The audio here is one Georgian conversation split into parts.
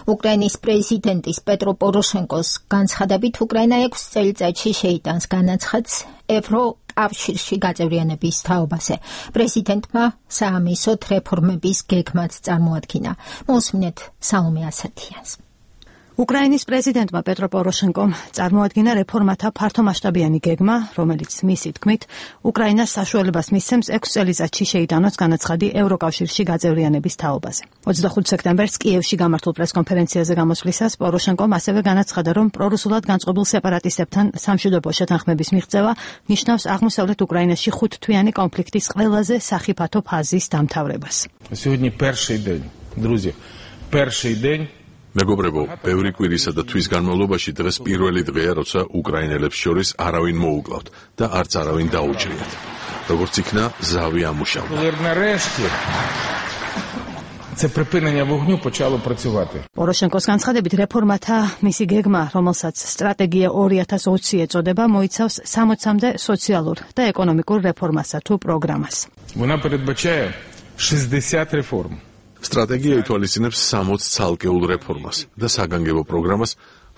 უკრაინის პრეზიდენტის პეტრო პოროშენკოს განცხადებით უკრაინა 6 წელიწადში შეიტანს განაცხადს ევროკავშირში გაწევრიანების თაობაზე. პრეზიდენტმა საამისოდ რეფორმების გეგმაც წარმოადგინა. მოსმინეთ სალომე ასათიანს. უკრაინის პრეზიდენტმა პეტრო პოროშენკომ წარმოადგინა რეფორმათა ფართომასშტაბიანი გეგმა, რომელიც მისი თქმით, უკრაინას საშუალებას მისცემს 6 წელიწადში შეიტანოს განაცხადი ევროკავშირში გაწევრიანების თაობაზე. 25 სექტემბერს კიევში გამართულ პრესკონფერენციაზე გამოსვლისას პოროშენკომ ასევე განაცხადა, რომ პრორუსულად განწყობილ სეპარატისტებთან სამშვიდობო შეთანხმების მიღწევა ნიშნავს აღმოსავლეთ უკრაინაში 5-თვიანი კონფლიქტის ყველაზე სახიფათო ფაზის დამთავრებას. Сегодня первый день, друзья. Первый день. მეგობრებო, ბევრი კვირისა და თვის განმავლობაში დღეს პირველი დღეა, როცა უკრაინელებს შორის არავინ მოუკლავთ და არც არავინ დაუჭრიათ. როგორც იქნა, ზავი ამუშავდა. Це припинення вогню почало працювати. პოროშენკოს განცხადებით რეფორმათა მისი გეგმა, რომელსაც სტრატეგია 2020 ეწოდება, მოიცავს 60-მდე სოციალურ და ეკონომიკურ რეფორმასა თუ პროგრამას. Вона передбачає 60 реформ. სტრატეგია ითვალისწინებს 60 ცალკეულ რეფორმას და საგანგებო პროგრამას,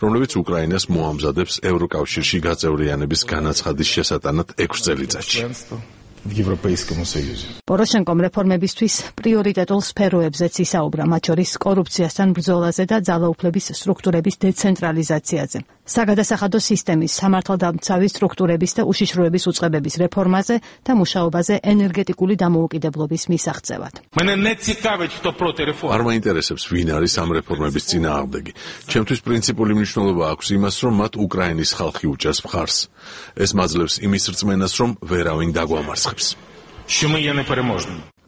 რომლებიც უკრაინას მოამზადებს ევროკავშირში გაწევრიანების განაცხადის შესატანად 6 წელიწადში. В Европейском Союзе. პოროშენკომ რეფორმებისთვის პრიორიტეტულ სფეროებზეც ისაუბრა, მათ შორის კორუფციასთან ბრძოლაზე და ძალაუფლების სტრუქტურების დეცენტრალიზაციაზე. საგადასახადო სისტემის, სამართალდამცავი სტრუქტურების და უშიშროების უწყებების რეფორმაზე და მუშაობაზე ენერგეტიკული დამოუკიდებლობის მისაღწევად. არ მაინტერესებს, ვინ არის ამ რეფორმების წინააღმდეგი. ჩემთვის პრინციპული მნიშვნელობა აქვს იმას, რომ მათ უკრაინის ხალხი უჭერს მხარს. ეს მაძლევს იმის რწმენას, რომ ვერავინ დაგვამარცხებს.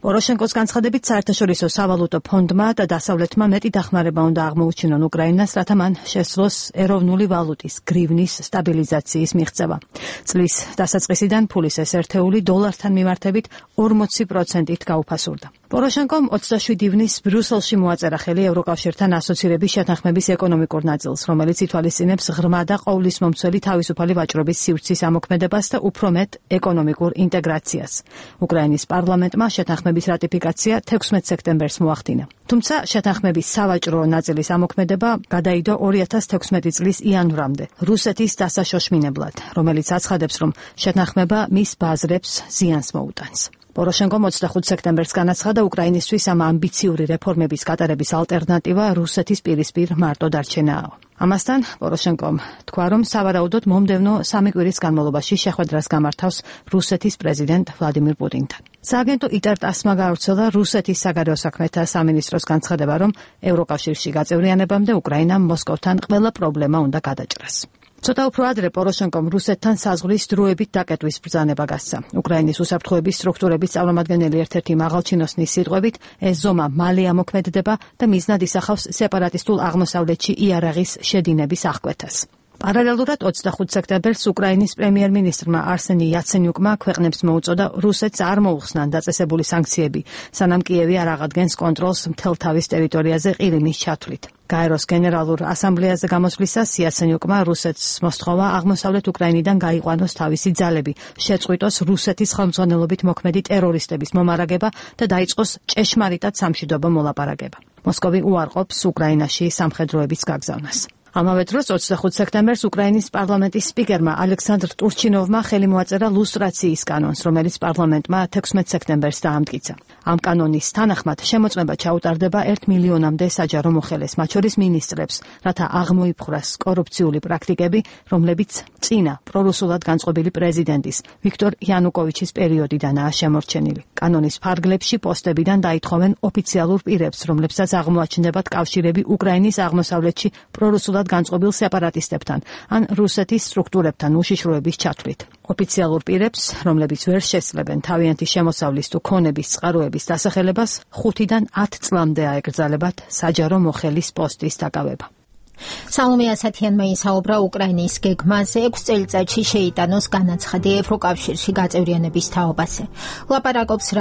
პოროშენკოს განცხადებით საერთაშორისო სავალუტო ფონდმა და დასავლეთმა მეტი დახმარება უნდა აღმოუჩინონ უკრაინას, რათა მან შესძლოს ეროვნული ვალუტის გრივნის სტაბილიზაციის მიღწევა. წლის დასაწყისიდან ფულის ეს ერთეული დოლართან მიმართებით 40%-ით გაუფასურდა. პოროშენკომ 27 ივნის ბრიუსელში მოაწერა ხელი ევროკავშირთან ასოცირების შეთანხმების ეკონომიკურ ნაწილს, რომელიც ითვალისწინებს ღრმა და ყოვლისმომცველი თავისუფალი ვაჭრობის სივრცის ამოქმედებას და უფრო მეტ ეკონომიკურ ინტეგრაციას. უკრაინის პარლამენტმა შეთანხმების რატიფიკაცია 16 სექტემბერს მოახდინა. თუმცა შეთანხმების სავაჭრო ნაწილის ამოქმედება გადაიდო 2016 წლის იანვრამდე, რუსეთის დასაშოშმინებლად, რომელიც აცხადებს, რომ შეთანხმება მის ბაზრებს ზიანს მოუტანს. პოროშენკომ 25 სექტემბერს განაცხადა, უკრაინისთვის ამ ამბიციური რეფორმების გატარების ალტერნატივა რუსეთის პირისპირ მარტო დარჩენაა. ამასთან პოროშენკომ თქვა, რომ სავარაუდოდ მომდევნო 3 კვირის განმავლობაში შეხვედრას გამართავს რუსეთის პრეზიდენტ ვლადიმირ პუტინთან. სააგენტო იტარ-ტასმა გაავრცელა რუსეთის საგარეო საქმეთა სამინისტროს განცხადება, რომ ევროკავშირში გაწევრიანებამდე უკრაინამ მოსკოვთან ყველა პრობლემა უნდა გადაჭრას. ცოტა უფრო ადრე პოროშენკომ რუსეთთან საზღვრის დროებით დაკეტვის ბრძანება გასცა. უკრაინის უსაფრთხოების სტრუქტურების წარმომადგენელი ერთ-ერთი მაღალჩინოსნის სიტყვებით, ეს ზომა მალე ამოქმედდება და მიზნად ისახავს სეპარატისტულ აღმოსავლეთში იარაღის შედინების აღკვეთას. პარალელურად 25 სექტემბერს უკრაინის პრემიერ-მინისტრმა არსენი იაცენიუკმა ქვეყნებს მოუწოდა რუსეთს არ მოუხსნან დაწესებული სანქციები, სანამ კიევი არ აღადგენს კონტროლს მთელ თავის ტერიტორიაზე ყირიმის ჩათვლით. გაეროს გენერალურ ასამბლეაზე გამოსვლისას იაცენიუკმა რუსეთს მოსთხოვა აღმოსავლეთ უკრაინიდან გაიყვანოს თავისი ძალები, შეწყვიტოს რუსეთის ხელმძღვანელობით მოქმედი ტერორისტების მომარაგება და დაიწყოს ჭეშმარიტად სამშვიდობო მოლაპარაკება. მოსკოვი უარყოფს უკრაინაში სამხედროების გაგზავნას. ამავე დროს 25 სექტემბერს უკრაინის პარლამენტის სპიკერმა ალექსანდრ ტურჩინოვმა ხელი მოაწერა ლუსტრაციის კანონს, რომელიც პარლამენტმა 16 სექტემბერს დაამტკიცა. ამ კანონის თანახმად შემოწმება ჩაუტარდება 1 მილიონამდე საჯარო მოხელეს, მათ შორის მინისტრებს, რათა აღმოიფხვრას კორუფციული პრაქტიკები, რომლებიც წინა პრორუსულად განწყობილი პრეზიდენტის ვიქტორ იანუკოვიჩის პერიოდიდანაა შემორჩენილი. კანონის ფარგლებში პოსტებიდან დაითხოვენ ოფიციალურ პირებს, რომლებსაც აღმოაჩნდებათ კავშირები უკრაინის აღმოსავლეთში პრორუსულად განწყობილ სეპარატისტებთან ან რუსეთის სტრუქტურებთან უშიშროების ჩათვლით. ოფიციალურ პირებს, რომლებიც ვერ შესწლებენ თავიანთი შემოსავლის თუ ქონების წყაროების დასახელებას, 5-დან 10 წლამდე აეკრძალებათ საჯარო მოხელის პოსტის დაკავება. სალომე ასათიანმა ისაუბრა უკრაინის გეგმაზე 6 წელიწადში შეიტანოს განაცხადი ევროკავშირში გაწევრიანების თაობაზე. ლაპარაკობს